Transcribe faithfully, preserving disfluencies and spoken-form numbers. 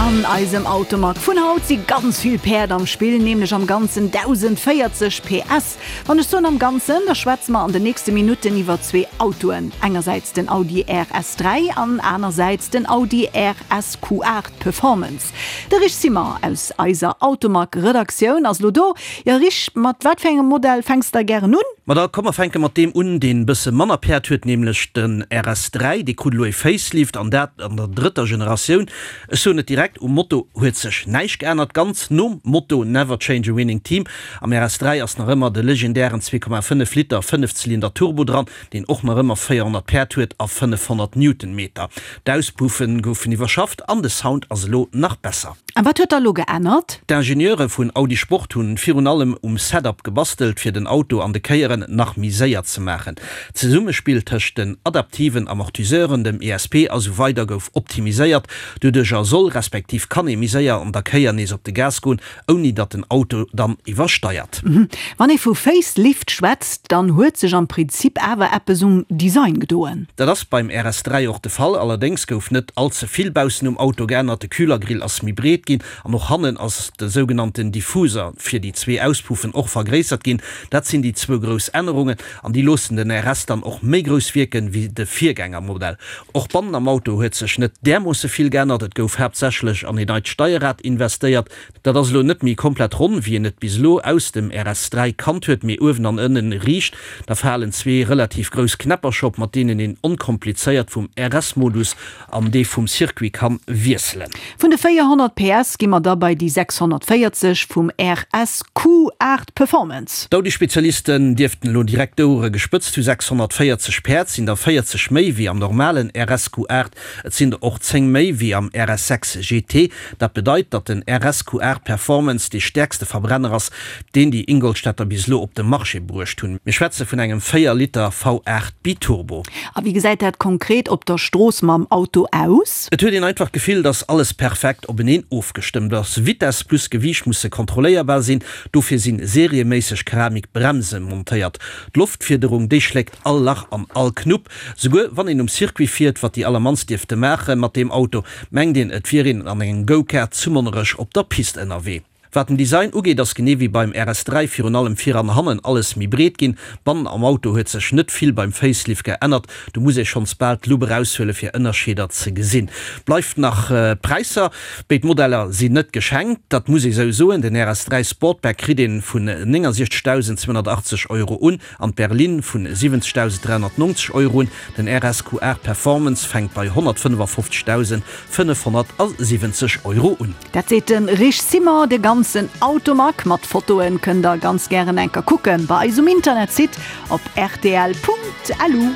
An eisem Automag vun haut si ganz vill Päerd am Spill, nämlech am Ganzen dausendvéierzeg P S. Wann ech soen am Ganzen, da schwätze mer an den nächste Minutten iwwer zwee Autoen, engersäits den Audi R S dräi an anersäits den Audi R S Q aacht Performance. De Rich Simmer aus eiser Automag-Redaktioun ass lo do. Jo Rich, mat wat fir engem Modell fänks de gären un? Ma da komm mer fänke mat deem un, deen e bësse manner Päerd huet, nämlech den R S dräi. Dee krut elo e Facelift an dat an der drëtter Generatioun. Ech soen et direkt, um Motor huet sech näischt geännert, ganz nom Motto Never change a winning team. Am R S dräi ass nach ëmmer de legendären zwee Komma fënnef Liter Fënnefzylinder Turbo dran, deen och nach ëmmer véierhonnert Päerd huet a fënnefhonnert Newtonmeter. D'Auspuffe goufen iwwerschafft an de Sound ass elo nach besser. A wat huet da lo geännert? D'Ingenieure vun Audi Sport hunn virun allem um Setup gebastelt, fir den Auto an de Kéieren nach méi séier ze maachen. D'Zesummespill tëscht den adaptiven Amortisseuren, dem E S P a sou weider gouf optimiséiert. Doduercher soll respektiv kann ee méi séier an der Kéier nees op de Gas goen, ouni datt den Auto dann iwwersteiert. Wann ee vu Facelift schwätzt, dann huet sech am Prinzip awer eppes um Design gedoen. Dat ass beim R S dräi och de Fall, allerdéngs gouf net all ze vill baussen um Auto geännert. De Kühlergrill ass méi breet ginn an och hannen ass de sougenannten Diffuser fir déi zwee Auspuffen och vergréissert ginn. Dat sinn déi zwou grouss Ännerungen an déi loossen den R S dann och méi grouss wierken wéi de Virgängermodell. Och bannen am Auto huet sech net därmoosse vill geännert, et gouf haaptsächlech an een neit Steierrad investéiert. Dat ass elo net méi komplett ronn, wéi een et bis elo aus dem R S dräi kannt huet, mee uewen an ënnen riicht. Da falen zwee relativ grouss Knäppercher op, mat deenen een onkomplizéiert vum R S-Modus an dee vum Circuit kann wiesselen. Vun de véierhonnert P S gi mer da bei déi sechshonnertvéierzeg vum R S Q aacht Performance. D'Audi-Spezialisten dierften elo direkt d'Ouere gespëtzt hu, sechshonnertvéierzeg Päerd sinn der véierzeg méi wéi am normalen R S Q aacht, et sinn der och zéng méi wéi am R S sechs G T. Dat bedeit, datt den R S Q aacht Performance dee stäerkste Verbrenner ass, deen déi Ingolstädter bis elo op de Marché bruecht hunn. Mir schwätze vun engem véier Liter V aacht Biturbo. A wéi gesäit dat konkret op der Strooss mam Auto aus? Et huet een einfach d'Gefill, datt alles perfekt openeen ofgestëmmt ass. Vitess plus Gewiicht musse kontrolléierbar sinn, dofir si serieméisseg Keramikbremse montéiert. D'Loftfiederung, déi schléckt all Lach an all Knupp. Souguer wann een um Circuit fiert, wat déi allermannst dierfte maache mat deem Auto, mengt een, et wier een an engem Go-Kart zu Monnerech op der Pist ënnerwee. Wat den Design ugeet, ass genee wéi beim R S dräi virun allem vir an hannen alles méi breet ginn. Bannen am Auto huet sech net vill beim Facelift geännert, do muss ee schonns bal d'Lupp eraushuele fir Ënnerscheeder ze gesinn. Bleift nach d'Präisser, Béid Modeller sinn net geschenkt, dat muss ee sou soen. Den R S dräi Sportback kritt ee vun néngasechzegdausend zweehonnertachtzeg Euro un an d'Berlin vun siwwenzegdausend dräihonnertnonzeg Euro un. Den R S Q aacht Performance fänkt bei honnertfënnefafofzegdausend fënnefhonnertsiwwenzeg Euro un. Dat seet de Rich Simmer. De ganzen Automag mat Fotoen kënnt der ganz gären eng Kéier kucken bei eis um Internetsite op R T L Punkt L U.